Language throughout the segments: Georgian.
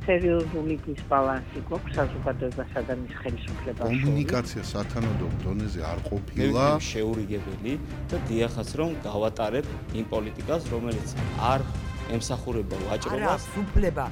სერიოზული დისბალანსი გვაქვს საზოგადოებასა და მის ხელისუფლებას. კომუნიკაცია სათანადო დონეზე არ ყოფილა. შეურიგებელი და დიახაც რომ გავატარებ იმ პოლიტიკას, რომელიც არ ემსახურება ვაჭრობას. არა, უფლება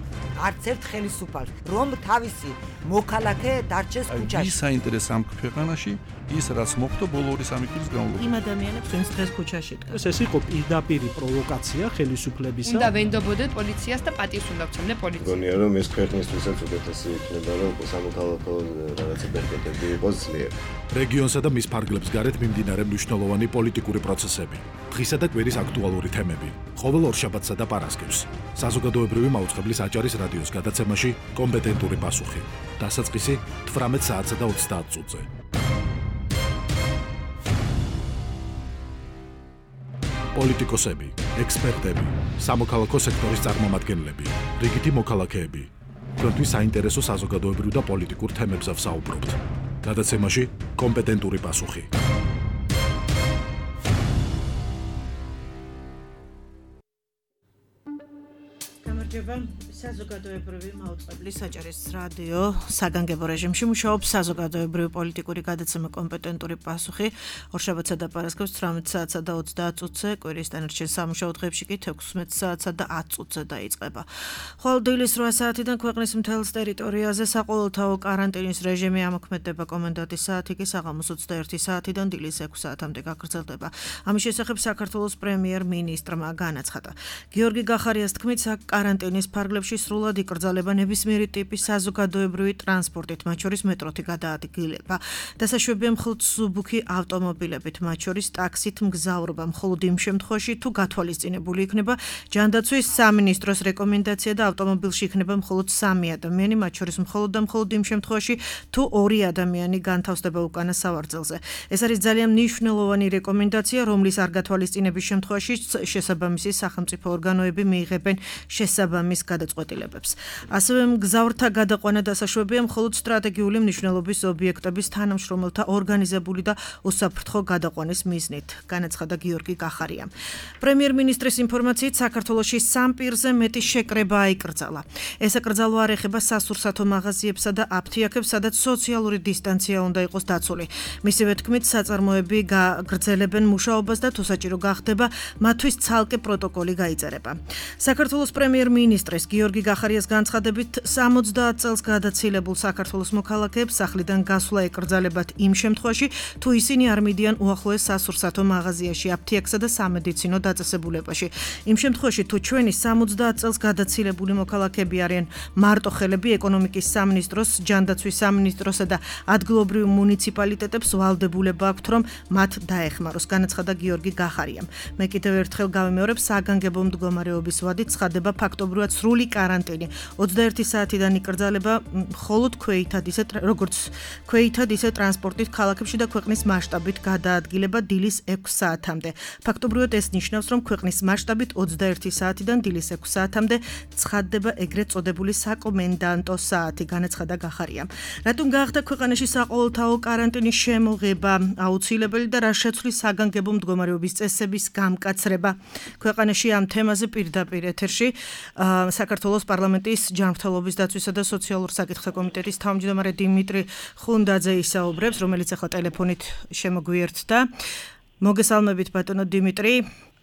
არც ერთ ხელისუფალს, რომ თავისი მოქალაქე დარჩეს ქუჩაში. ის საინტერესო ამ ქვეყანაში ის რაც მოხდა ბოლო 2-3 წლის განმავლობაში. იმ ადამიანებს ვინც დღეს ქუჩაში დგას. ეს იყო პირდაპირი პროვოკაცია ხელისუფლებისა. უნდა ვენდობოდეთ პოლიციას და პატივს უნდა ვცემდეთ პოლიციას. მგონია რომ ეს ქვეყნისთვისაც უკეთესი იქნება რომ სამოქალაქო რაღაცა ბერკეტები იყოს ძლიერი. რეგიონსა და მის ფარგლებს გარეთ მიმდინარე მნიშვნელოვანი პოლიტიკური პროცესები, დღისა და კვირის აქტუალური თემები, ყოველ ორშაბათსა და პარასკევს. საზოგადოებრივი მაუწყებლის აჭარის რადიოს გადაცემაში კომპეტენტური პასუხი. დასაწყისი 18 საათსა და 30 წუთზე. პოლიტიკოსები, ექსპერტები, სამოქალაქო სექტორის წარმომადგენლები, რიგითი მოქალაქეები. თქვენთვის საინტერესო საზოგადოებრივ და პოლიტიკურ თემებზე ვსაუბრობთ. გადაცემაში კომპეტენტური პასუხი. გამარჯობა, საზოგადოებრივი მაუწყებლის აჭარის რადიო საგანგებო რეჟიმში მუშაობს საზოგადოებრივი პოლიტიკური გადაცემა კომპეტენტური პასუხი. ორშაბათსა და პარასკევს 18 საათსა და 30 წუთზე, კვირის დანარჩენ სამუშაო დღეებში კი 16 საათსა და 10 წუთზე დაიწყება. ხოლო დილის 8 საათიდან ქვეყნის მთელს ტერიტორიაზე საყოველთაო კარანტინის რეჟიმი ამოქმედება, კომენდანტის საათი კი საღამოს 21 საათიდან დილის 6 საათამდე გაგრძელდება. ამის შესახებ საქართველოს პრემიერ-მინისტრმა განაცხადა. გიორგი გახარიას თქმით, კარანტინის ფარგლებში სრულად იკრძალება ნებისმიერი ტიპის საზოგადოებრივი ტრანსპორტით, მათ შორის მეტროთი გადაადგილება. დასაშვებია მხოლოდ სუბუქი ავტომობილებით, მათ შორის ტაქსით მგზავრობა, მხოლოდ იმ შემთხვევაში, თუ გათვალისწინებული იქნება ჯანდაცვის სამინისტროს რეკომენდაცია და ავტომობილში იქნება მხოლოდ 3 ადამიანი, მათ შორის მხოლოდ და მხოლოდ იმ შემთხვევაში, თუ 2 ადამიანი განთავსდება უკანა სავარძელზე. ეს არის ძალიან მნიშვნელოვანი რეკომენდაცია, რომლის არ გათვალისწინების შემთხვევაში შესაბამისი სახელმწიფო ორგანოები მიიღებენ შესაბამის გადაწყვეტილებებს. ასევე მგზავრთა გადაყვანა დასაშვებია მხოლოდ სტრატეგიული მნიშვნელობის ობიექტების თანამშრომელთა ორგანიზებული და უსაფრთხო გადაყვანის მიზნით, განაცხადა გიორგი გახარია. პრემიერ-მინისტრის ინფორმაციით, საქართველოში 3 პირზე მეტი შეკრება აიკრძალა. ეს აკრძალვა არ ეხება სასურსათო მაღაზიებსა და აფთიაქებს, სადაც სოციალური დისტანცია უნდა იყოს დაცული. მისივე თქმით, საწარმოები გაგრძელებენ მუშაობას და თუ საჭირო გახდება, მათთვის ცალკე პროტოკოლი გაიწერება. საქართველოს პრემიერ-მინისტრის გიორგი გახარიას განცხადებით 70 წელს გადაცილებულ საქართველოს მოქალაქეებს სახლიდან გასვლა ეკრძალებათ იმ შემთხვევაში, თუ ისინი არ მიდიან უახლოეს სასურსათო მაღაზიაში, აფთიაქსა და სამედიცინო დაწესებულებაში. იმ შემთხვევაში, თუ ჩვენი 70 წელს გადაცილებული მოქალაქეები არიან მარტოხელები, ეკონომიკის სამინისტროს, ჯანდაცვის სამინისტროსა და ადგილობრივ მუნიციპალიტეტებს ვალდებულება აქვთ, რომ მათ დაეხმაროს, განაცხადა გიორგი გახარიამ. მე კიდევ ერთხელ გავიმეორებ, საგანგებო მდგომარეობის ვადით ცხადდება ფაქტობრივად სრული კარანტინი. 21 საათიდან იკრძალება მხოლოდ ქვეითად, როგორც ქვეითად, ისე ტრანსპორტით ქალაქებში და ქვეყნის მასშტაბით გადაადგილება დილის 6 საათამდე. ფაქტობრივად ეს ნიშნავს, რომ ქვეყნის მასშტაბით 21 საათიდან დილის 6 საათამდე ცხადდება ეგრეთ წოდებული საკომენდანტო საათი, განაცხადა გახარიამ. რატომ გახდა ქვეყანაში საყოველთაო კარანტინის შემოღება აუცილებელი და რა შეცვლის საგანგებო მდგომარეობის წესების გამკაცრება? ქვეყანაში ამ თემაზე პირდაპირ ეთერში საქართველოს პარლამენტის ჯანმრთელობის დაცვისა და სოციალურ საკითხთა კომიტეტის თავმჯდომარე დიმიტრი ხუნდაძე ისაუბრებს, რომელიც ახლა ტელეფონით შემოგვიერთდა. მოგესალმებით ბატონო დიმიტრი.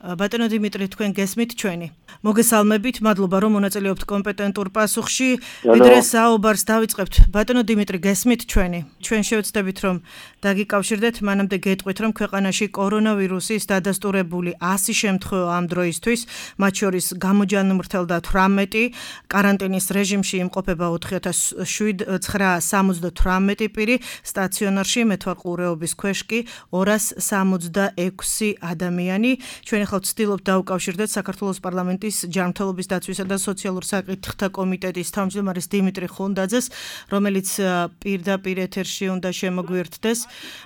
ბატონო დიმიტრი, თქვენ გესმით ჩვენი? მოგესალმებით, მადლობა რომ მონაწილეობთ კომპეტენტურ პასუხში. ვიდრე საუბარს დავიწყებთ. ბატონო დიმიტრი, გესმით ჩვენი? ჩვენ შევეცდებით რომ დაგიკავშირდეთ, მანამდე გეტყვით რომ ქვეყანაში კორონავირუსის დადასტურებული 100 შემთხვევა ამ დროისთვის, მათ შორის გამოჯანმრთელდა 18, კარანტინის რეჟიმში იმყოფება 4978 პირი, სტაციონარში მეთვალყურეობის ქვეშ კი 266 ადამიანი. ჩვენ ახლა ვცდილობთ დავუკავშირდეთ საქართველოს პარლამენტის ჯანმრთელობის დაცვისა და სოციალურ საკითხთა კომიტეტის თავმჯდომარის დიმიტრი ხუნდაძეს, რომელიც პირდაპირ ეთერში უნდა შემოგვიერთდეს.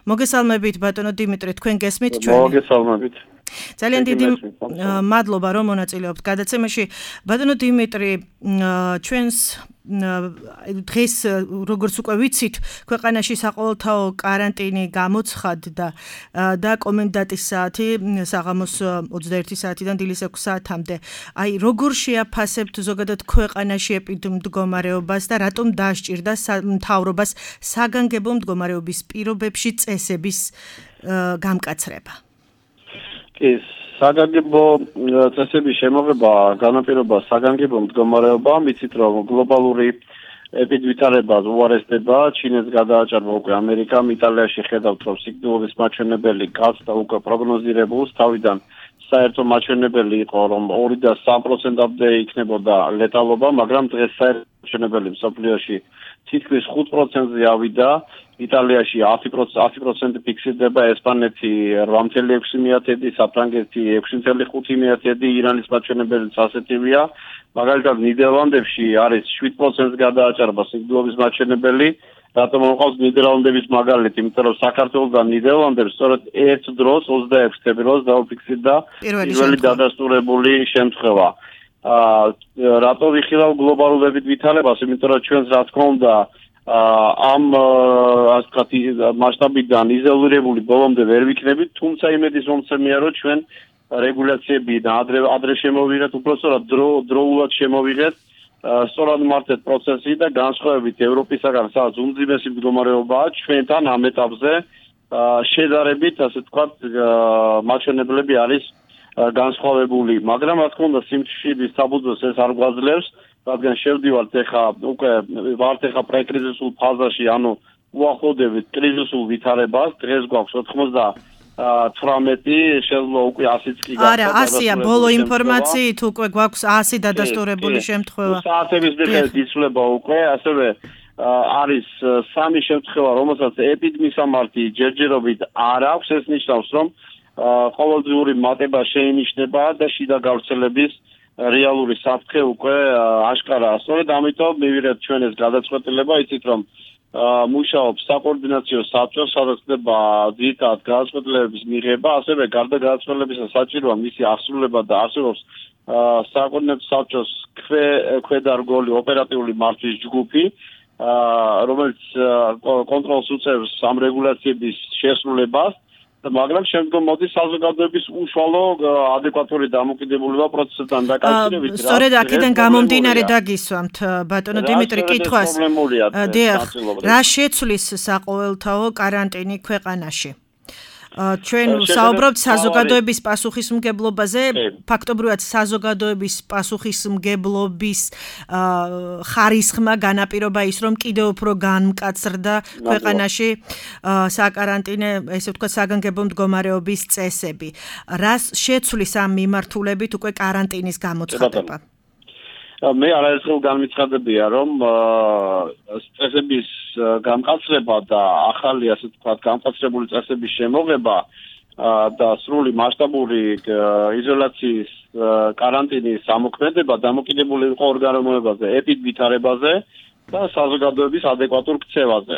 მოგესალმებით ბატონო დიმიტრი, თქვენ გესმით ჩვენ? მოგესალმებით. ძალიან დიდი მადლობა რომ მონაწილეობთ გადაცემაში. ბატონო დიმიტრი, ჩვენს დღეს როგორც უკვე ვიცით, ქვეყანაში საყოველთაო კარანტინი გამოცხადდა და კომენდანტის საათი საღამოს 21 საათიდან დილის 6 საათამდე. აი, როგორ შეაფასებთ ზოგადად ქვეყანაში ეპიდემიოლოგიას და რატომ დაასჭირდა მთავრობას საგანგებო მდგომარეობის პირობებში წესების გამკაცრება? საგანგებო წესების შემოღება განაპირობა საგანგებო მდგომარეობა, მიცით რომ გლობალური ეპიდემიოლოგია უარესდება, ჩინეთს გადააჭარბა უკვე ამერიკამ, იტალიაში ხედავთ რომ სიკვდილების მაჩვენებელი გახდა უკვე პროგნოზირებულს, თავიდან საერთო მაჩვენებელი იყო რომ 2 და 3%-მდე იქნებოდა ლეტალობა, მაგრამ დღეს საერთო მაჩვენებელი მსოფლიოში თითქმის 5%-ზე ავიდა. იტალიაში 10% ფიქსირდება, ესპანეთი 8.6%, საფრანგეთი 6.5%, ირანის მაჩვენებელიც ასეთივეა. მაგალითად ნიდერლანდებში არის 7%-ს გადააჭარბა სიკვდილების მაჩვენებელი. რატომ მოყავს ნიდერლანდების მაგალითი? იმიტომ რომ საქართველოს და ნიდერლანდებს სწორედ ერთ დროს 26 თებერვალს დაუფიქსირდა პირველი დადასტურებული შემთხვევა. რატო ვიხილავ გლობალურობით ვითარებას? იმიტომ რომ ჩვენს რა თქმა უნდა ამ ასეთი მასშტაბიდან იზოლირებული ბოლომდე ვერ ვიქნებით, თუმცა იმედის მომცემია რომ ჩვენ რეგულაციები და ადრე შემოვიღეთ, უბრალოდ დროულად შემოვიღეთ, სწორად მართეთ პროცესი და განსხვავებით ევროპისაგან, სადაც უმძიმესი მდგომარეობაა, ჩვენთან ამ ეტაპზე შედარებით, ასე ვთქვათ, მაჩვენებლები არის განსხვავებული, მაგრამ რა თქმა უნდა სიმშვიდის საბუძველს ეს არ გვაძლევს, რადგან შევდივართ ეხა უკვე ვართ ეხა პრეკრიზისულ ფაზაში, ანუ უახლოვდებით კრიზისულ ვითარებას, დღეს გვაქვს 98, შეიძლება უკვე 100-იც კი გახდა. არა, 100-ია ბოლო ინფორმაციით უკვე გვაქვს 100 დადასტურებული შემთხვევა. საათების მიხედვით იცვლება უკვე, ასევე არის 3 შემთხვევა, რომელსაც ეპიდემიოლოგიასამართი ჯერჯერობით არ აქვს, ეს ნიშნავს, რომ ყოველდღიური მატება შეინიშნება და შიდა გავრცელების რეალური საფრთხე უკვე აშკარაა. სწორედ ამიტომ მივიღეთ ჩვენ ეს გადაწყვეტილება, იცით რომ მუშაობს საკოორდინაციო საბჭო, სადაც ხდება ძირითადად გადაწყვეტილებების მიღება, ასევე გარდა გადაწყვეტილებისა საჭიროა მისი აღსრულება და არსებობს საკოორდინაციო საბჭოს ქვედარგოლი ოპერატიული მართვის ჯგუფი, რომელიც კონტროლს უწევს ამ რეგულაციების შესრულებას. მაგრამ შემდგომ მოდის საზოგადოების უშუალო ადეკვატური დამოკიდებულება პროცესთან დაკავშირებით. სწორედ აქედან გამომდინარე დაგისვამთ ბატონო დიმიტრი კითხვას. დიახ, რა შეცვლის საყოველთაო კარანტინი ქვეყანაში? ჩვენ საუბრობთ საზოგადოების პასუხისმგებლობაზე, ფაქტობრივად საზოგადოების პასუხისმგებლობის ხარისხმა განაპირობა ის, რომ კიდევ უფრო განმკაცრდა ქვეყანაში საკარანტინე, ესე ვთქვათ, საგანგებო მდგომარეობის წესები. რას შეცვლის ამ მიმართულებით უკვე კარანტინის გამოცხადება? მე არაერთხელ განმეცხადებია, რომ წესების გამკაცრება და ახალი, ასე ვთქვათ, გამკაცრებული წესების შემოღება და სრული მასშტაბური იზოლაციის კარანტინის ამოქმედება დამოკიდებული იყო ორგანოებაზე, ეპიდვითარებაზე და საზოგადოების ადეკვატურ ქცევაზე.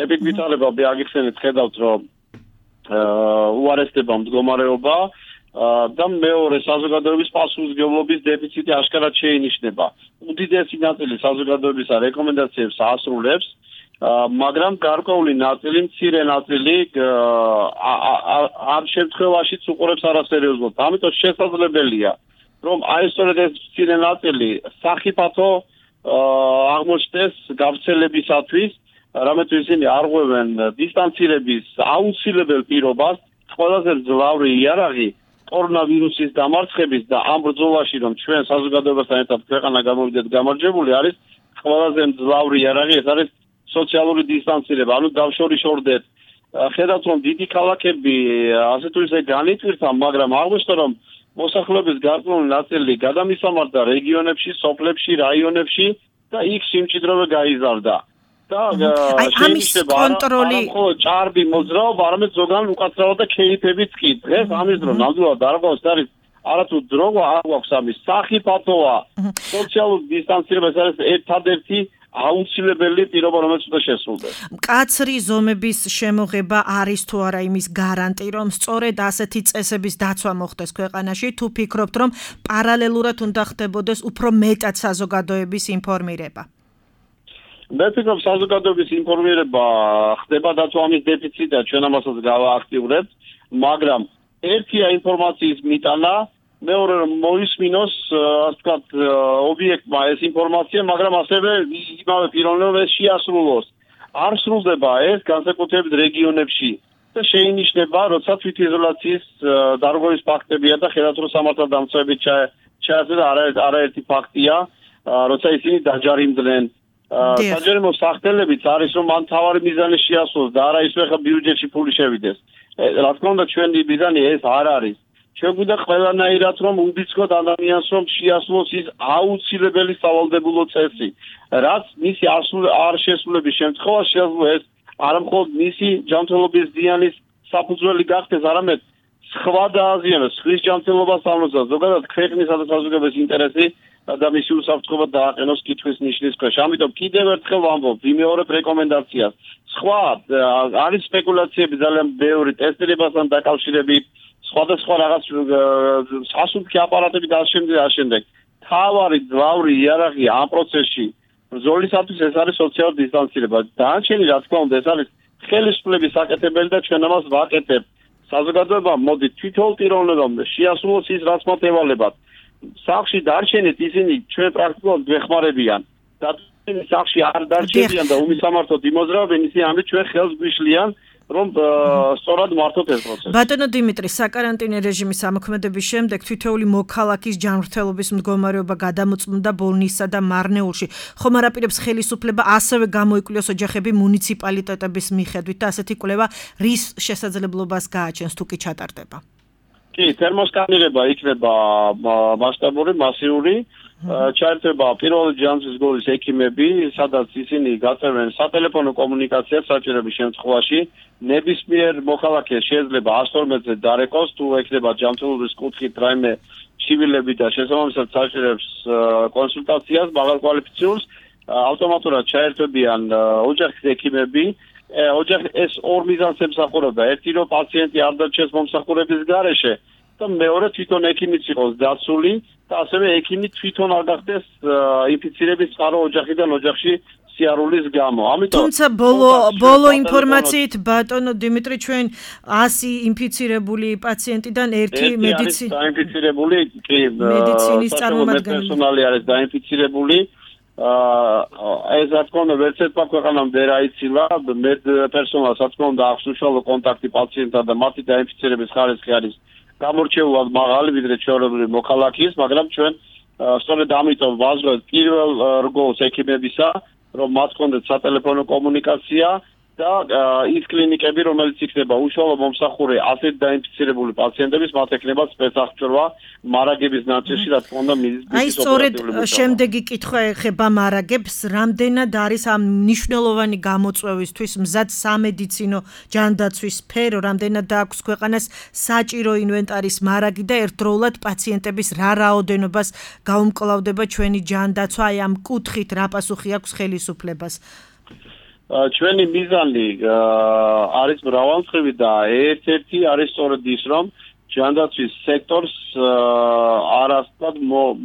ეპიდვითარება აგიხსენეთ, ხედავთ, რომ უარესდება მდგომარეობა და მეორე საზოგადოების პასუხისმგებლობის დეფიციტი აშკარად შეინიშნება. უდიდესი ნაწილი საზოგადოებისა რეკომენდაციებს ასრულებს, მაგრამ გარკვეული ნაწილი, მცირე ნაწილი ამ შემთხვევაშიც უყურებს არასერიოზულად. ამიტომ შესაძლებელია, რომ აი სწორედ ეს მცირე ნაწილი სახიფათო აღმოჩნდეს გავრცელებისათვის, რამე თუ ისინი არღვევენ დისტანცირების აუცილებელ პირობას, ყველაზე მძლავრი იარაღი კორონავირუსის დამარცხების და ამ ბრძოლაში, რომ ჩვენ საზოგადოებასთან ერთად ქვეყანა გამოვიდეთ გამარჯვებული, არის ყველაზე მძლავრი იარაღი, ეს არის სოციალური დისტანცირება, ანუ დავშორიშორდეთ. ხედავთ, რომ დიდი ქალაქები ასე თუ ისე განიტვირთა, მაგრამ აღმოჩნდა, რომ მოსახლეობის გარკვეული ნაწილი გადამისამართდა რეგიონებში, სოფლებში, რაიონებში და იქ სიმჭიდროვე გაიზარდა. ამის კონტროლი ჭარბი მოძრაობა, არამედ ზოგან უკაცრავად და ქეიფებიც კი. დღეს ამის დრო ნამდვილად არ გვაქვს არის არათუ დრო არ გვაქვს ამის სახიფათოა. სოციალური დისტანცირება ეს არის ერთადერთი აუცილებელი პირობა, რომელიც უნდა შესრულდეს. მკაცრი ზომების შემოღება არის თუ არა იმის გარანტი, რომ სწორედ ასეთი წესების დაცვა მოხდეს ქვეყანაში, თუ ფიქრობთ, რომ პარალელურად უნდა ხდებოდეს უფრო მეტად საზოგადოების ინფორმირება? მე ვფიქრობ, საზოგადოების ინფორმირება ხდება და თუ ამის დეფიციტია, ჩვენ ამასაც გავააქტიურებთ, მაგრამ ერთია ინფორმაციის მიტანა, მეორე რომ მოისმინოს, ასე ვთქვათ, ობიექტმა ეს ინფორმაცია, მაგრამ ასევე იმავე პიროვნებას შეასრულოს. არ სრულდება ეს განსაკუთრებით რეგიონებში და შეინიშნება, როცა თვითიზოლაციის დარღვევის ფაქტებია და ხელათრო სამართალდამცავებით ჩააწერა არაერთი ფაქტია, როცა ისინი დაჯარიმდნენ. საჯარიმო სახტელებიც არის, რომ მან თავარი მიზანი შეასრულოს და არა ისე ხა ბიუჯეტში ფული შევიდეს. რა თქმა უნდა, ჩვენი მიზანი ეს არ არის. ჩვენ გვინდა ყველანაირად რომ უბიძგოთ ადამიანს რომ შეასრულოს ის აუცილებელი სავალდებულო წესი, რაც მისი არ შესრულების შემთხვევაში შეიძლება ეს არა მხოლოდ მისი ჯანმრთელობის ზიანის საფუძველი გახდეს, არამედ სხვა დააზიანოს, ხრის ჯანმრთელობას ამოსა, ზოგადად ქვეყნისა და საზოგადოების ინტერესი და მისი უსაფრთხოება დააყენოს კითხვის ნიშნის ქვეშ. ამიტომ კიდევ ერთხელ ვამბობ, ვიმეორებ რეკომენდაციას. სხვა არის სპეკულაციები ძალიან ბევრი ტესტირებასთან დაკავშირებით, სხვადასხვა რაღაც სასუნთქი აპარატები და შემდეგ. თავარი ძვავრი იარაღი ამ პროცესში ბრძოლისათვის ეს არის სოციალური დისტანცირება. დანარჩენი რა თქმა უნდა ეს არის ხელისუფლების საკეთებელი და ჩვენ ამას ვაკეთებთ. საზოგადოება მოდი თვითონ პიროვნებამ შეასრულოს ის რაც მათ ევალებათ. სახში დარჩენით ისინი ჩვენ პრაქტიკულად გვეხმარებიან და სახში არ დარჩენიან და უმისამართოდ იმოძრავენ ისინი ამით ჩვენ ხელს გვიშლიან რომ სწორად მართოთ ეს პროცესი. ბატონო დიმიტრი, საკარანტინო რეჟიმის ამოქმედების შემდეგ თითოეული მოქალაქის ჯანმრთელობის მდგომარეობა გადამოწმდა ბოლნისსა და მარნეულში. ხომ არ აპირებს ხელისუფლება ასევე გამოიკვლიოს ოჯახები მუნიციპალიტეტების მიხედვით და ასეთი კვლევა რის შესაძლებლობას გააჩენს თუ კი ჩატარდება? კი, თერმოსკანირება იქნება მასშტაბური, მასიური. ჩაერთვება პირველი ჯანმრთელობის გოლის ექიმები, სადაც ისინი გაწევენ სატელეფონო კომუნიკაციას საჭიროების შემთხვევაში. ნებისმიერ მოქალაქეს შეიძლება 112-ზე დარეკოს, თუ ექნება ჯანმრთელობის კუთხით რაიმე ჩივილები და შესაბამისად საჭიროებს კონსულტაციას მაღალკვალიფიციურს, ავტომატურად ჩაერთვებიან ოჯახის ექიმები. ოჯახი ეს ორ მიზანს ემსახურება. ერთი რომ პაციენტი არ დარჩეს მომსახურების გარეშე და მეორე თვითონ ექიმიც იყოს დაცული და ასევე ექიმი თვითონ არ გახდეს ინფიცირების წყარო ოჯახიდან ოჯახში სიარულის გამო. ამიტომ თუმცა ბოლო ინფორმაციით ბატონო დიმიტრი ჩვენ 100 ინფიცირებული პაციენტიდან ერთი დაინფიცირებული მედიცინის წარმომადგენელი პერსონალი არის დაინფიცირებული. ეს რა თქმა უნდა ვერც ერთმა ქვეყანამ ვერ აიცილა პერსონალს რა თქმა უნდა აქვს უშუალო კონტაქტი პაციენტთან და მათი დაინფიცირების ხარისხი არის გამორჩეულად მაღალი ვიდრე ჩვეულებრივი მოქალაქის, მაგრამ ჩვენ სწორედ ამიტომ ვაზრობთ პირველ რგოლს ექიმებისა, რომ მათ ჰქონდეთ სატელეფონო კომუნიკაცია და ის კლინიკები, რომელიც იქნება უშუალო მომსახურე ასეთ დაინფიცირებული პაციენტების, მათ ექნება სპეცსახჭურვა მარაგების ნაწილში, რა თქმა უნდა, აი სწორედ შემდეგი კითხვა ეხება მარაგებს, რამდენად არის ამ მნიშვნელოვანი გამოწვევისთვის მზად სამედიცინო ჯანდაცვის სფერო, რამდენად აქვს ქვეყანას საჭირო ინვენტარის მარაგი და ერთდროულად პაციენტების რა რაოდენობას გაუმკლავდება ჩვენი ჯანდაცვა, აი ამ კუთხით რა პასუხი აქვს ხელისუფლებას? ჩვენი მიზანი არის მრავალმხრივი და ერთ-ერთი არის სწორედ ის, რომ ჯანდაცვის სექტორს არასდროს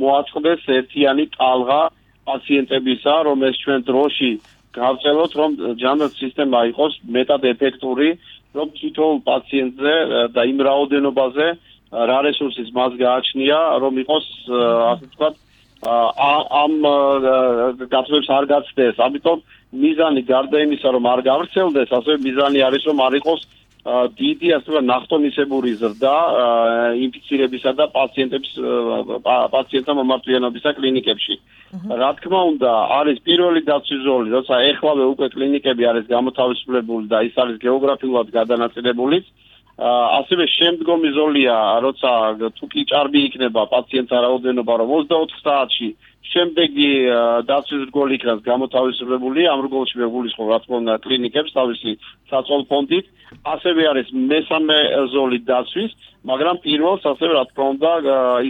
მოაწყდეს ერთიანი ტალღა პაციენტებისა, რომ ეს ჩვენ დროში გავწელოთ, რომ ჯანდაცვის სისტემა იყოს მეტად ეფექტური, რომ თითოეულ პაციენტზე და იმ რაოდენობაზე რა რესურსის მას გააჩნია, რომ იყოს ასე ვთქვათ ამ გაწევებს არ გაცდეს. ამიტომ მიზანი გარდა იმისა, რომ არ გავრცელდეს, ასევე მიზანი არის, რომ არ იყოს დიდი ასე ნახტომისებური ზრდა ინფიცირებისა და პაციენტთა მომართვიანობისა კლინიკებში. რა თქმა უნდა, არის პირველი დაცვის ზოლი, როცა ეხლავე უკვე კლინიკები არის გამოთავისუფლებული და ის არის გეოგრაფიულად გადანაწილებული. ასევე შემდგომი ზოლია, როცა თუ კი ჭარბი იქნება პაციენტთა რაოდენობა, რომ 24 საათში შემდეგი დაცვის რგოლი იქნას გამოთავისუფლებული, ამ რგოლში ვეგულისხმობ რა თქმა უნდა კლინიკებს თავისი საწოლ ფონდით, ასევე არის მესამე ზოლი დაცვის, მაგრამ პირველს ასევე რა თქმა უნდა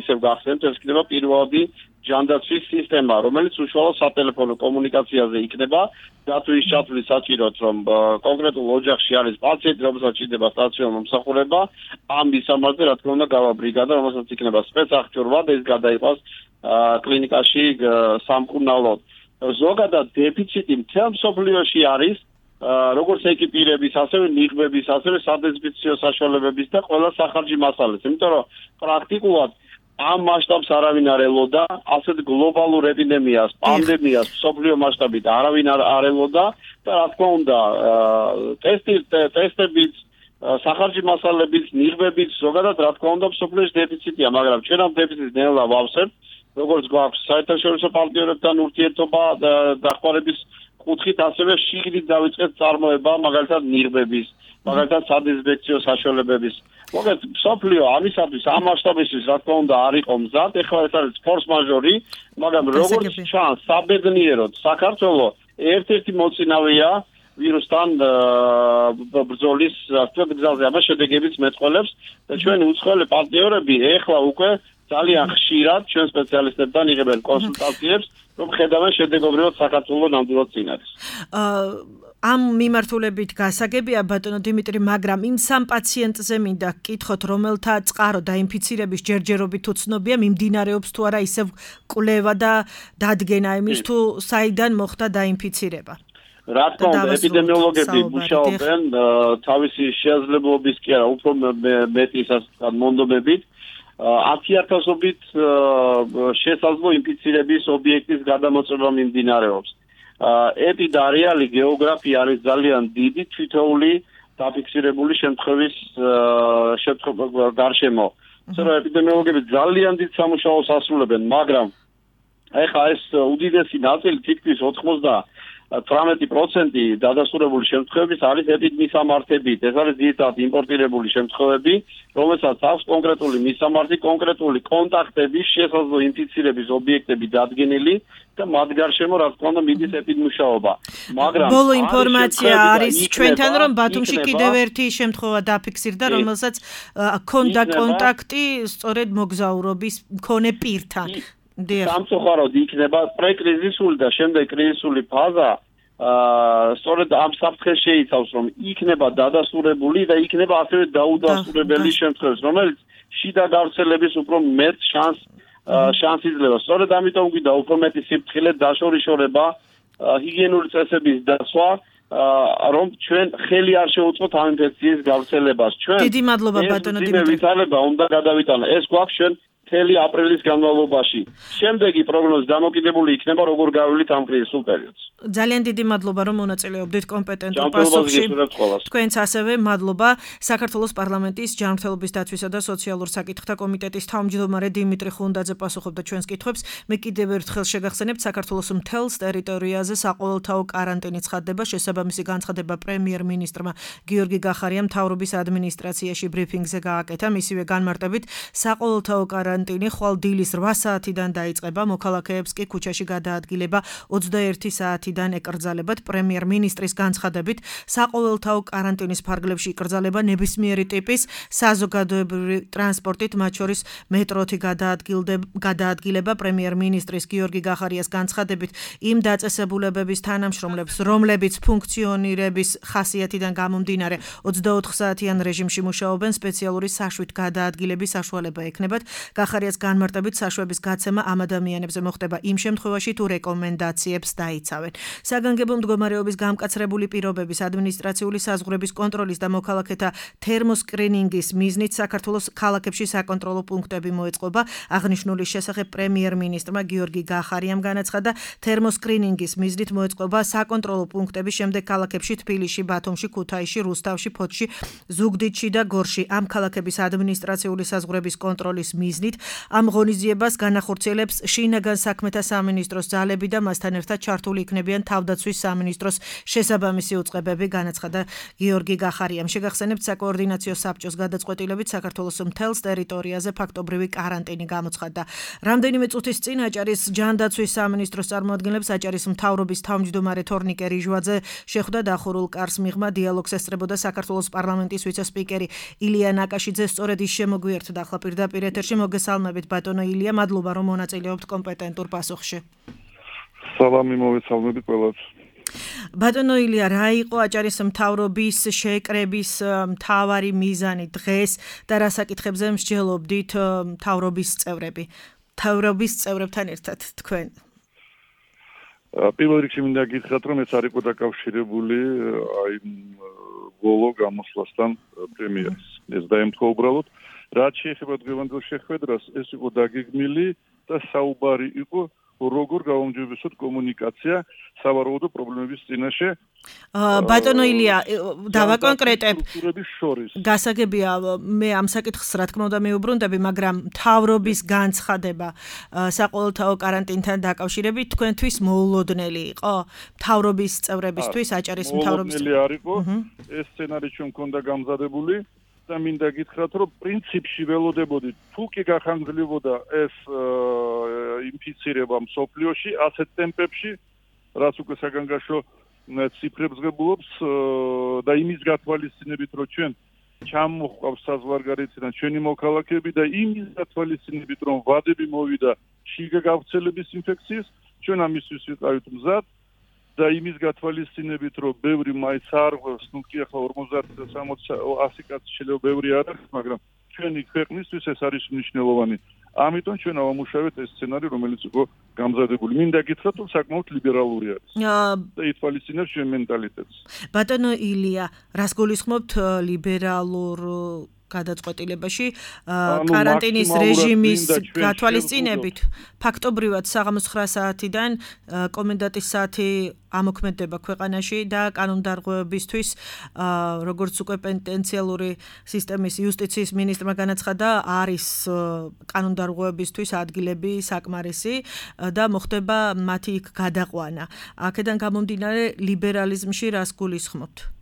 ისევ გახსენთ, ეს იქნება პირველადი ჯანდაცვის სისტემა, რომელიც უშუალოდ სატელეფონო კომუნიკაციაზე იქნება, დათვის ჩათვლის საჭიროდ, რომ კონკრეტულ ოჯახში არის პაციენტი, რომელსაც ჭირდება სტაციონარული მომსახურება, ამ მისამართზე რა თქმა უნდა გავა ბრიგადა, რომელსაც იქნება სპეცსახჭურვა და ეს გადაიყვანს კლინიკაში სამკურნალოდ. ზოგადად დეფიციტი მთელ მსოფლიოში არის როგორც ეკიპირების, ასევე ნიღბების, ასევე სადეზინფექციო საშუალებების და ყველა სახარჯი მასალების. იმიტომ რომ პრაქტიკულად ამ მასშტაბს არავინ არ ელოდა, ასეთ გლობალურ ეპიდემიას, პანდემიას მსოფლიო მასშტაბით არავინ არ ელოდა და რა თქმა უნდა, ტესტებით, სახარჯი მასალების, ნიღბებით, ზოგადად რა თქმა უნდა მსოფლიოში დეფიციტია, მაგრამ ჩვენ ამ დეფიციტს ნელა ვავსებთ, როგორც გვაქვს საერთაშორისო პარტნიორებთან ურთიერთობა დახმარების კუთხით, ასევე შიგნით დავიწყეთ წარმოება, მაგალითად ნიღბების, მაგალითად სადეზინფექციო საშუალებების. მოგეთ, მსოფლიო ამისათვის ამ მასშტაბისთვის რა თქმა უნდა არ იყო მზად, ეხლა ეს არის ფორს მაჟორი, მაგრამ როგორც ჩანს, საბედნიეროდ საქართველოს ერთ-ერთი მოწინავეა ვირუსთან ბრძოლის გზაზე, ამას შედეგებიც მეტყველებს და ჩვენი უცხოელი პარტნიორები ეხლა უკვე ძალიან ხშირად ჩვენ სპეციალისტებთან იღებენ კონსულტაციებს, რომ ხედავენ შედეგობრივად საქართველოს ნამდვილად წინ არის. ამ მიმართულებით გასაგებია ბატონო დიმიტრი, მაგრამ იმ სამ პაციენტზე მინდა გკითხოთ, რომელთა წყარო დაინფიცირების ჯერჯერობით უცნობია, მიმდინარეობს თუ არა ისევ კვლევა და დადგენა იმის თუ საიდან მოხდა დაინფიცირება. რა თქმა უნდა, ეპიდემიოლოგები მუშაობენ თავისი შესაძლებლობის კი არა, უფრო მეტი მონდომებით 10,000-ობით შესაძლო ინფიცირების ობიექტის გადამოწმება მიმდინარეობს. ეპიდარიალი გეოგრაფია არის ძალიან დიდი თითოეული დაფიქსირებული შემთხვევის გარშემო. ისე რომ ეპიდემიოლოგები ძალიან დიდ სამუშაოს ასრულებენ, მაგრამ ეხლა ეს უდიდესი ნაწილი თითქმის 98% დადასტურებული შემთხვევების არის ეპიდმისამართებით. ეს არის ძირითადად იმპორტირებული შემთხვევები, რომელსაც აქვს კონკრეტული მისამართი, კონკრეტული კონტაქტების, შესაძლო ინფიცირების ობიექტები დადგენილი და მათ გარშემო რა თქმა უნდა მიდის ეპიდმუშაობა. მაგრამ ბოლო ინფორმაცია არის ჩვენთან, რომ ბათუმში კიდევ ერთი შემთხვევა დაფიქსირდა, რომელსაც ჰქონდა კონტაქტი სწორედ მოგზაურობის მქონე პირთან. სამწუხაროდ იქნება პრეკრიზისული და შემდეგ კრიზისული ფაზა, სწორედ ამ საფრთხეს შეიცავს, რომ იქნება დადასტურებული და იქნება ასევე დაუდასტურებელი შემთხვევები, რომელიც შიდა გავრცელების უფრო მეტ შანსს იძლევა. სწორედ ამიტომ გვინდა უფრო მეტი სიფრთხილე, დაშორიშორება, ჰიგიენური წესების დაცვა, რომ ჩვენ ხელი არ შეუწყოთ ამ ინფექციის გავრცელებას. ჩვენ დიდი მადლობა ბატონო დიმიტრი. ვითარება უნდა გადავიტანო. ეს გვაქვს ჩვენ მთელი აპრილის განმავლობაში. შემდეგი პროგნოზი დამოკიდებული იქნება როგორ გავივლით ამ კრიზისულ პერიოდს. ძალიან დიდი მადლობა რომ მონაწილეობდით კომპეტენტურ პასუხში. თქვენც ასევე მადლობა. საქართველოს პარლამენტის ჯანმრთელობის დაცვისა და სოციალურ საკითხთა კომიტეტის თავმჯდომარე დიმიტრი ხუნდაძე პასუხობდა ჩვენს კითხვებს. მე კიდევ ერთხელ შეგახსენებთ, საქართველოს მთელს ტერიტორიაზე საყოველთაო კარანტინი ცხადდება. შესაბამისი განცხადება პრემიერ-მინისტრმა გიორგი გახარიამ მთავრობის ადმინისტრაციაში ბრიფინგზე გააკეთა. მისივე განმარტებით, საყოველთაო карантине ხვალ დილის 8 საათიდან დაიწყება, მოქალაქეებს კი ქუჩაში გადაადგილება 21 საათიდან ეკრძალებათ. პრემიერ-მინისტრის განცხადებით, საყოველთაო карантиნის ფარგლებში იკრძალება ნებისმიერი ტიპის საზოგადოებრივი ტრანსპორტით, მათ შორის მეტროთი გადაადგილება. პრემიერ-მინისტრის გიორგი გახარიას განცხადებით, იმ დაწესებულებების თანამშრომლებს, რომლებიც ფუნქციონირების ხასიათიდან გამომდინარე 24 საათიან რეჟიმში მუშაობენ, სპეციალური საშვით გადაადგილების საშუალება ექნებათ. გახარიას განმარტებით, საშვების გაცემა ამ ადამიანებზე მოხდება იმ შემთხვევაში, თუ რეკომენდაციებს დაიცავენ. საგანგებო მდგომარეობის გამკაცრებული პირობების, ადმინისტრაციული საზღვრების კონტროლის და მოქალაქეთა თერმოსკრინინგის მიზნით საქართველოს ქალაქებში საკონტროლო პუნქტები მოეწყობა. აღნიშნული შესახებ პრემიერ-მინისტრმა გიორგი გახარიამ განაცხადა, თერმოსკრინინგის მიზნით მოეწყობა საკონტროლო პუნქტები შემდეგ ქალაქებში თბილისში, ბათუმში, ქუთაისში, რუსთავში, ფოთში, ზუგდიდში და გორში. ამ ქალაქების ადმინისტრაციული საზღვრების კონტროლის მიზნით ამ ღონისძიებას განახორციელებს შინაგან საქმეთა სამინისტროს ძალები და მასთან ერთად ჩართული იქნებიან თავდაცვის სამინისტროს შესაბამისი უწყებები, განაცხადა გიორგი გახარიამ. შეგახსენებთ, საკოორდინაციო საბჭოს გადაწყვეტილებით საქართველოს მთელს ტერიტორიაზე ფაქტობრივი каранტინი გამოცხადდა. რამდენიმე წუთის წინ აჭარის ჯანდაცვის სამინისტროს წარმოადგენლებს აჭარის მთავრობის თავმჯდომარე თორნიკე რიჟვაძე შეხვდა დახურულ კარს მიღმა დიალოგს ესწრებოდა საქართველოს პარლამენტის ვიცე-სპიკერი ილია ნაკაშიძე. სწორედ ის შემოგვიერთდა ახლა პირდაპირ ეთერში. მოგესალმებით მოგესალმებით ბატონო ილია, მადლობა რომ მონაწილეობთ კომპეტენტურ პასუხში. სალამი მოვესალმებით ყველას. ბატონო ილია, რა იყო აჭარის მთავრობის შეკრების მთავარი მიზანი დღეს და რა საკითხებზე მსჯელობდით მთავრობის წევრები? მთავრობის წევრებთან ერთად თქვენ. პირველ რიგში მინდა გითხრათ, რომ ეს არ იყო დაკავშირებული აი ბოლო გამოსვლასთან პრემიერის. ეს დაემთხვა უბრალოდ, რაც შეეხება დღევანდელ შეხვედრას, ეს იყო დაგეგმილი და საუბარი იყო როგორ გავამჯობესოთ კომუნიკაცია სავარაუდო პრობლემების წინაშე. ბატონო ილია, დავაკონკრეტებ. გასაგებია, მე ამ საკითხს რა თქმა უნდა მიუბრუნდები, მაგრამ მთავრობის განცხადება საყოველთაო კარანტინთან დაკავშირებით თქვენთვის მოულოდნელი იყო? მთავრობის წევრებისთვის, აჭარის მთავრობის მოულოდნელი არ იყო. ეს სცენარი ჩვენ მქონდა გამზადებული. და მინდა გითხრათ, რომ პრინციპში ველოდებოდით, თუ კი გახანგრძლივოდა ეს ინფიცირება მსოფლიოში ასეთ ტემპებში, რაც უკვე საგანგაშო ციფრებს ღებულობს და იმის გათვალისწინებით, რომ ჩვენ ჩამოჰყავს საზღვარგარეთიდან ჩვენი მოქალაქეები და იმის გათვალისწინებით, რომ ვადები მოვიდა შიგა გავრცელების ინფექციის, ჩვენ ამისთვის ვიყავით მზად. და იმის გათვალისწინებით, რომ ბევრი მაინც არ ღვევს, ნუ კი ახლა 50-60 კაცი შეიძლება ბევრი არ არის, მაგრამ ჩვენი ქვეყნისთვის ეს არის მნიშვნელოვანი. ამიტომ ჩვენ ავამუშავეთ ეს სცენარი, რომელიც იყო გამზადებული. მინდა გითხრათ, რომ საკმაოდ ლიბერალური არის. და ითვალისწინებს ჩვენ მენტალიტეტს. ბატონო ილია, რას გულისხმობთ ლიბერალურ გადაწყვეტილებაში კარანტინის რეჟიმის გათვალისწინებით? ფაქტობრივად საღამოს 9 საათიდან კომენდანტის საათი ამოქმედება ქვეყანაში და კანონდარღვევებისთვის, როგორც უკვე პენტენციალური სისტემის იუსტიციის მინისტრმა განაცხადა, არის კანონდარღვევებისთვის ადგილები საკმარისი და მოხდება მათი იქ გადაყვანა. აქედან გამომდინარე ლიბერალიზმში რას გულისხმობთ?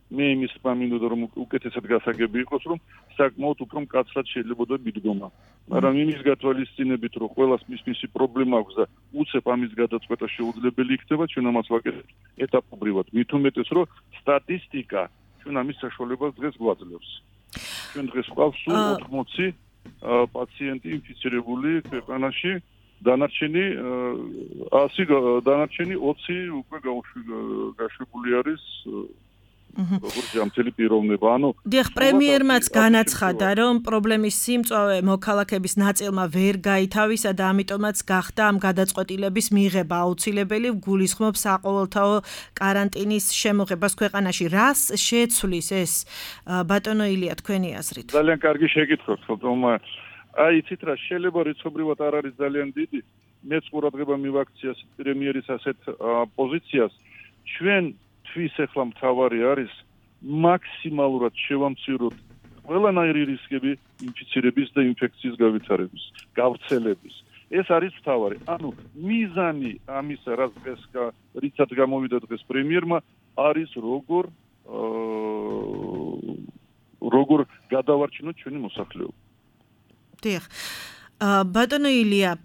მე იმის მინდოდა რომ უკეთესად გასაგები იყოს, რომ საკმაოდ უფრო მკაცრად შეიძლება მიდგომა. მაგრამ იმის გათვალისწინებით, რომ ყველას მისი პრობლემა აქვს და უცებ ამის გადაწყვეტა შეუძლებელი იქნება, ჩვენ ამას ვაკეთებთ ეტაპობრივად. მით უმეტეს, რომ სტატისტიკა ჩვენ ამის საშუალებას დღეს გვაძლევს. ჩვენ დღეს გვყავს სულ 80 პაციენტი ინფიცირებული ქვეყანაში, დანარჩენი 20 უკვე გაშვებული არის როგორც ჯამთელი პიროვნება. დიახ, პრემიერმაც განაცხადა, რომ პრობლემის სიმწვავე მოქალაქეების ნაწილმა ვერ გაითავისა და ამიტომაც გახდა ამ გადაწყვეტილების მიღება აუცილებელი, გულისხმობს საყოველთაო კარანტინის შემოღებას ქვეყანაში. რას შეცვლის ეს ბატონო ილია თქვენი აზრით? ძალიან კარგი შეკითხვაა, თუმცა აი იცით რა, შეიძლება რიცხობრივად არ არის ძალიან დიდი. მეც ყურადღება მივაქციას პრემიერის ასეთ პოზიციას. ჩვენ თვის ახლა მთავარი არის მაქსიმალურად შევამციროთ ყველანაირი რისკები ინფიცირების და ინფექციის გავითარების, გავრცელების. ეს არის მთავარი. მიზანი ამისა, რიცაც გამოვიდა დღეს პრემიერმა, არის როგორ გადავარჩინოთ ჩვენი მოსახლეობა. დიახ. ბატონო ილია,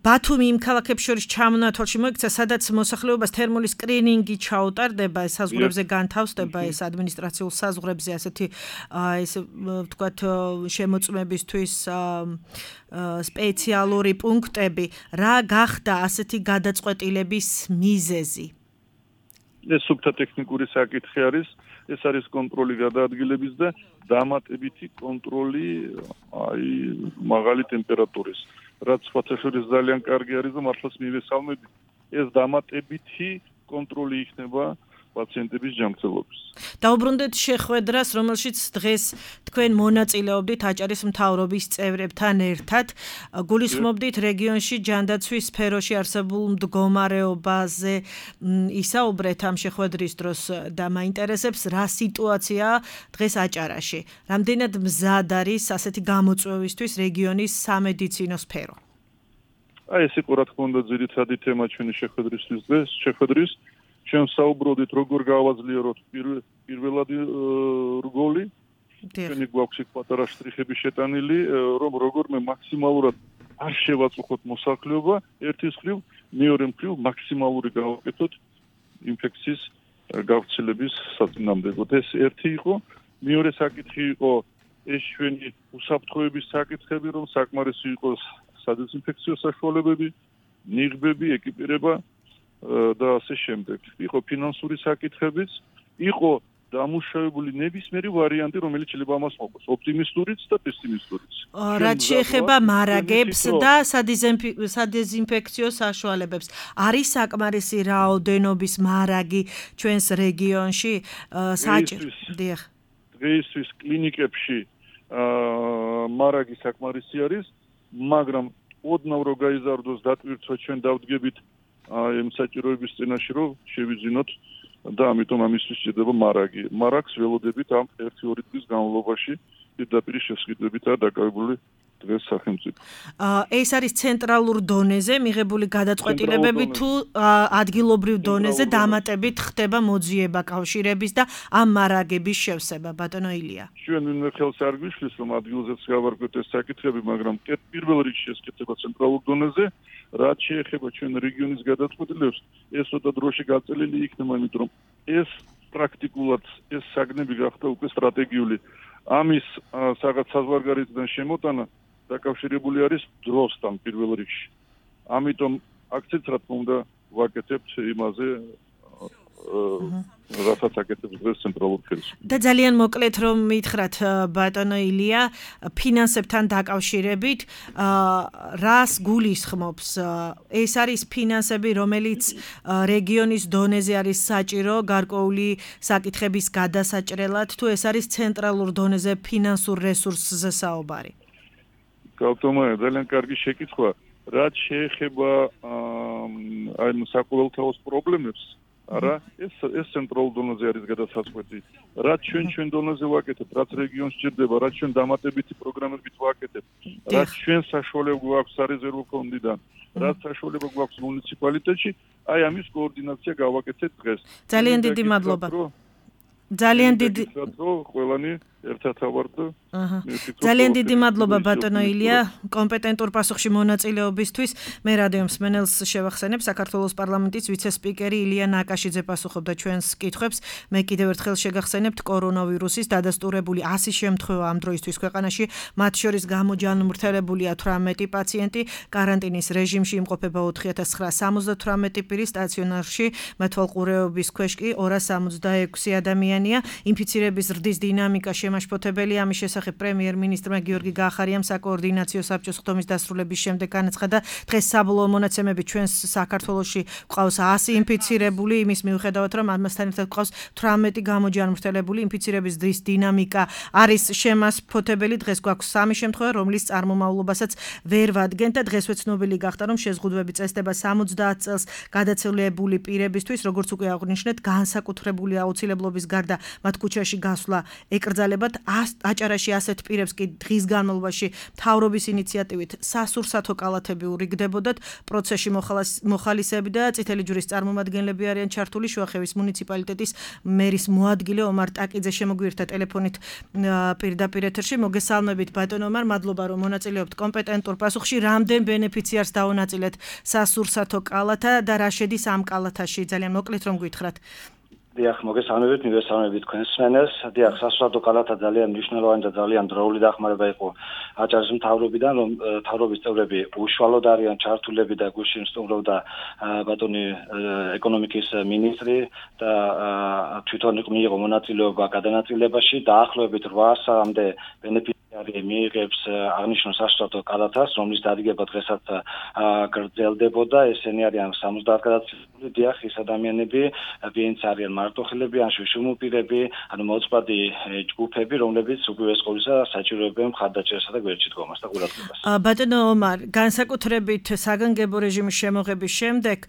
ბათუმი იმ ქალაქებს შორის ჩამონათვალში მოიქცა, სადაც მოსახლეობას თერმული სკრინინგი ჩაუტარდება, საზღვრებზე განთავსდება ეს ადმინისტრაციულ საზღვრებზე ასეთი ესე ვთქვათ შემოწმებისთვის სპეციალური პუნქტები. რა გახდა ასეთი გადაწყვეტილების მიზეზი? ეს სუფთა ტექნიკური საკითხი არის. ეს არის კონტროლი გადაადგილების და დამატებითი კონტროლი აი მაღალი ტემპერატურის. რაც სხვათაშორის ძალიან კარგი არის და მართლაც მივესალმები. ეს დამატებითი კონტროლი იქნება პაციენტების ჯანმრთელობის. დაუბრუნდეთ შეხვედრას, რომელშიც დღეს თქვენ მონაწილეობდით აჭარის მთავრობის წევრებთან ერთად. გულისხმობდით რეგიონში ჯანდაცვის სფეროში არსებულ მდგომარეობაზე ისაუბრეთ ამ შეხვედრის დროს და მაინტერესებს რა სიტუაციაა დღეს აჭარაში. რამდენად მზად არის ასეთი გამოწვევისთვის რეგიონის სამედიცინო სფერო? აი ეს იყო რა თქმა უნდა ძირითადი თემა ჩვენი შეხვედრისთვის დღეს. ჩვენ საუბრობდით როგორ გავაძლიეროთ პირველადი რგოლი. ჩვენი გვაქვს იქ პატარა შტრიხები შეტანილი, რომ როგორმე მაქსიმალურად არ შევაწუხოთ მოსახლეობა, ერთის მხრივ, მეორე მხრივ მაქსიმალური გავაკეთოთ ინფექციის გავრცელების საწინააღმდეგოდ. ეს ერთი იყო. მეორე საკითხი იყო ეს ჩვენი უსაფრთხოების საკითხები, რომ საკმარისი იყოს სადეზინფექციო საშუალებები, ნიღბები, ეკიპირება და ასე შემდეგ. იყო ფინანსური საკითხებიც, იყო დამუშავებული ნებისმიერი ვარიანტი, რომელიც შეიძლება ამას მოყოს, ოპტიმისტურიც და პესიმისტურიც. რაც შეეხება მარაგებს და სადეზინფექციო საშუალებებს, არის საკმარისი რაოდენობის მარაგი ჩვენს რეგიონში საჭირო? დიახ. დღეისთვის კლინიკებში მარაგი საკმარისი არის, მაგრამ ოდნავ რო გაიზარდოს დატვირთვა ჩვენ დავდგებით იმ საჭიროების წინაშე რომ შევიძინოთ და ამიტომ ამისთვის შეიძლება მარაგი. მარაგს ველოდებით ამ 1-2 წლის განმავლობაში პირდაპირ შესყიდვებითაა დაკავებული დღეს სახელმწიფო. ეს არის ცენტრალურ დონეზე მიღებული გადაწყვეტილებები თუ ადგილობრივ დონეზე დამატებით ხდება მოძიება კავშირების და ამ მარაგების შევსება, ბატონო ილია? ჩვენ ვინმე ხელს არ გვიშლის რომ ადგილზეც გავარკვევთ ეს საკითხები, მაგრამ პირველ რიგში ეს ხდება ცენტრალურ დონეზე. რაც შეეხება ჩვენ რეგიონის გადაწყვეტილებებს, ეს ცოტა დროში გაწელილი იქნება, იმიტომ რომ ეს პრაქტიკულად ეს საგნები გახდა უკვე სტრატეგიული. ამის რაღაც საზღვარგარეთიდან შემოტანა დაკავშირებული არის დროსთან პირველ რიგში. ამიტომ აქცენტს რა თქმა უნდა ვაკეთებთ იმაზე, რასაც აკეთებს დღეს ცენტრალურ ხელისუფლება. და ძალიან მოკლედ რომ მითხრათ ბატონო ილია, ფინანსებთან დაკავშირებით, რას გულისხმობს? ეს არის ფინანსები, რომელიც რეგიონის დონეზე არის საჭირო გარკვეული საკითხების გადასაჭრელად, თუ ეს არის ცენტრალურ დონეზე ფინანსურ რესურსზე საუბარი? გავთხოვე, ძალიან კარგი შეკითხვა. რაც შეეხება აი საკუთალოს პრობლემებს, არა, ეს ცენტრალურ დონეზე არის გადასაწყვეტი. რაც ჩვენ დონეზე ვაკეთებთ, რაც რეგიონს სჭირდება, რაც ჩვენ დამატებითი პროგრამებით ვაკეთებთ, რაც ჩვენ საშუალება გვაქვს სარეზერვო ფონდიდან, რაც საშუალება გვაქვს მუნიციპალიტეტში, აი ამის კოორდინაცია გავაკეთეთ დღეს. ძალიან დიდი მადლობა. ძალიან დიდი ყველანი ერთად ავარდ. ძალიან დიდი მადლობა ბატონო ილია კომპეტენტურ პასუხში მონაწილეობისთვის. მე რადიო მსმენელს შევახსენებ, საქართველოს პარლამენტის ვიცე-სპიკერი ილია ნაკაშიძე პასუხობდა ჩვენს კითხვებს. მე კიდევ ერთხელ შეგახსენებთ, კორონავირუსის დადასტურებული 100 შემთხვევა ამ დროისთვის ქვეყანაში, მათ შორის გამოჯანმრთელებულია 18 პაციენტი, კარანტინის რეჟიმში იმყოფება 4978 პირი, სტაციონარში მეთვალყურეობის ქვეშ კი 266 ადამიანია. ინფიცირების ზრდის დინამიკა შემაშფოთებელია. ამის შესახებ პრემიერ-მინისტრმა გიორგი გაახარიამ საკოორდინაციო საბჭოს ხდომის დასრულების შემდეგ განაცხადა, დღეს საბოლოო მონაცემები ჩვენს საქართველოში გვყავს 100 ინფიცირებული, იმის მიუხედავად რომ ამასთან ერთად გვყავს 18 გამოჯანმრთელებული. ინფიცირების ზრდის დინამიკა არის შემაშფოთებელი. დღეს გვაქვს 3 შემთხვევა, რომლის წარმომავლობასაც ვერ ვადგენთ და დღესვე ცნობილი გახდა, რომ შეზღუდვები წესდება 70 წელს გადაცილებული პირებისთვის, როგორც უკვე აღვნიშნეთ, განსაკუთრებული აუცილებლობის გარდა მათ ქუჩაში გასვლა ეკრძალებათ. აჭარაში ასეთ პირებს კი დღის განმავლობაში მთავრობის ინიციატივით სასურსათო კალათები ურიგდებოდათ. პროცესში მოხალისეები და წითელი ჯვრის წარმომადგენლები არიან ჩართული. შუახევის მუნიციპალიტეტის მერის მოადგილე ომარ ტაკიძე შემოგვიერთდა ტელეფონით პირდაპირ ეთერში. მოგესალმებით ბატონო ომარ, მადლობა რომ მონაწილეობთ კომპეტენტურ პასუხში. რამდენ ბენეფიციარს დაუნაწილეთ სასურსათო კალათა და რა შედის ამ კალათაში? ძალიან მოკლედ რომ გითხრათ. დიახ, მოგესალმებით, მივესალმებით თქვენს მსმენელს. დიახ, სასურსათო კალათა ძალიან მნიშვნელოვანი და ძალიან დროული დახმარება იყო აჭარის მთავრობიდან, რომ მთავრობის წევრები უშუალოდ არიან ჩართულები და გუშინ სტუმრობდა ბატონი ეკონომიკის მინისტრი და თვითონ მიიღო მონაწილეობა გადანაწილებაში. დაახლოებით 800-მდე ბენეფიციარი მიიღებს აღნიშნულ სასურსათო კალათას, რომლის დადგება დღესაც გრძელდებოდა. ესენი არიან 70 გადაცილებული. დიახ, ის ადამიანები, ვინც არიან მარტოხელები, ან შუშუმუპირები, ანუ მოწყვლადი ჯგუფები, რომლებიც უპირველეს ყოვლისა საჭიროებენ მხარდაჭერასა და გვერდში დგომას და ყურადღებას. ბატონო ომარ, განსაკუთრებით საგანგებო რეჟიმის შემოღების შემდეგ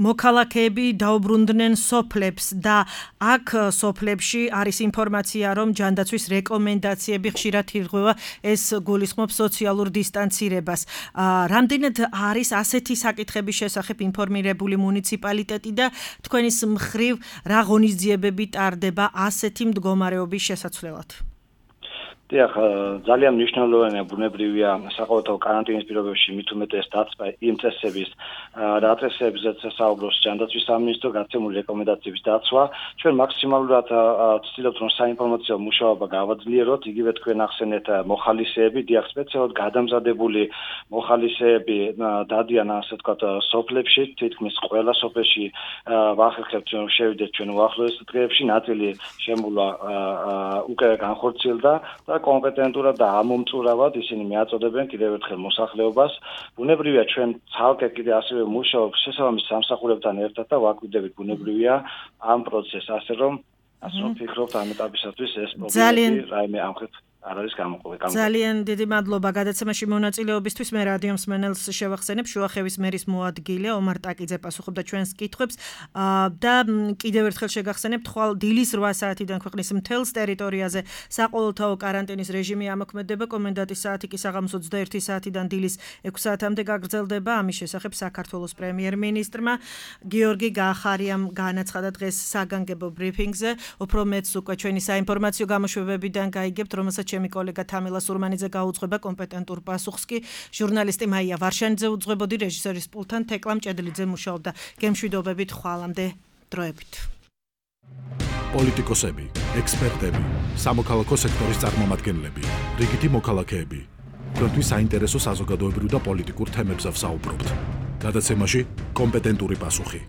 მოქალაქეები დაუბრუნდნენ სოფლებს და აქ სოფლებში არის ინფორმაცია, რომ ჯანდაცვის რეკომენდაციები ხშირად ირღვევა, ეს გულისხმობს სოციალურ დისტანცირებას. რამდენად არის ასეთი საკითხების შესახებ ინფორმირებული მუნიციპალიტეტი და თქვენის მხრივ რა ღონისძიებები ტარდება ასეთი მდგომარეობის შესაცვლელად? დიახ, ძალიან მნიშვნელოვანია ბუნებრივია საყოველთაო კარანტინის პირობებში მით უმეტეს დაცვა იმ წესების რა წესებზეც საუბრობს ჯანდაცვის სამინისტრო, გაცემული რეკომენდაციების დაცვა. ჩვენ მაქსიმალურად ვცდილობთ რომ საინფორმაციო მუშაობა გავაძლიეროთ, იგივე თქვენ ახსენეთ მოხალისეები, დიახ, სპეციალურად გადამზადებული მოხალისეები დადიან ასე ვთქვათ სოფლებში, თითქმის ყველა სოფელში ვახერხებთ რომ შევიდეთ ჩვენ უახლოეს დღეებში, ნაწილი შემოვა უკვე განხორციელდა და კომპეტენტურად და ამომწურავად ისინი მიაწოდებენ კიდევ ერთხელ მოსახლეობას. ბუნებრივია ჩვენ ცალკე კიდე ასევე მუშაობთ შესაბამის სამსახურებთან ერთად და ვაკვირდებით ბუნებრივია ამ პროცესს, ასე რომ ვფიქრობთ ამ ეტაპისათვის ეს პრობლემები რაიმე ამხეთ არ არის გამოყოფილი. ძალიან დიდი მადლობა გადაცემაში მონაწილეობისთვის. მე რადიო მსმენელს შევახსენებ, შუახევის მერის მოადგილე ომარ ტაკიძე პასუხობდა ჩვენს კითხვებს და კიდევ ერთხელ შეგახსენებთ, ხვალ დილის 8 საათიდან ქვეყნის მთელს ტერიტორიაზე საყოველთაო კარანტინის რეჟიმი ამოქმედება, კომენდანტის საათი კი საღამოს 21 საათიდან დილის 6 საათამდე გაგრძელდება. ამის შესახებ საქართველოს პრემიერ-მინისტრმა გიორგი გაახარიამ განაცხადა დღეს საგანგებო ბრიფინგზე. უფრო მეც უკვე ჩვენი საინფორმაციო გამოშვებებიდან გაიგებთ, რომელსაც ჩემი კოლეგა თამილა სურმანიძე გაუძღვება კომპეტენტურ პასუხს კი ჟურნალისტი მაია ვარშანიძე უძღვებოდი, რეჟისორის პულტთან თეკლამ ჭედლიძე მუშაობდა. გემშვიდობებით ხვალამდე დროებით. პოლიტიკოსები, ექსპერტები, სამოქალაქო სექტორის წარმომადგენლები, რიგითი მოქალაქეები. თქვენთვის საინტერესო საზოგადოებრივ და პოლიტიკურ თემებზე ვსაუბრობთ. გადაცემაში კომპეტენტური პასუხი.